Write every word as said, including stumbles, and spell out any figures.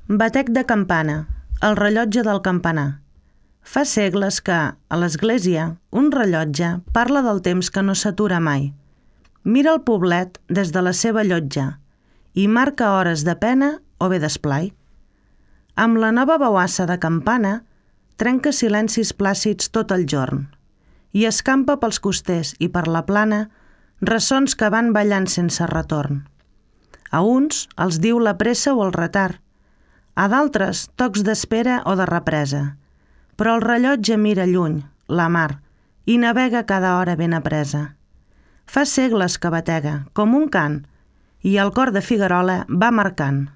Batec de campana, el rellotge del campanar. Fa segles que, a l'església, un rellotge parla del temps que no s'atura mai. Mira el poblet des de la seva llotja i marca hores de pena o bé d'esplai. Amb la nova bauassa de campana trenca silencis plàcids tot el jorn i escampa pels costers i per la plana ressons que van ballant sense retorn. A uns els diu la pressa o el retard, a d'altres tocs d'espera o de represa, però el rellotge mira lluny, la mar, i navega cada hora ben apresa. Fa segles que batega, com un cant, i el cor de Figuerola va marcant.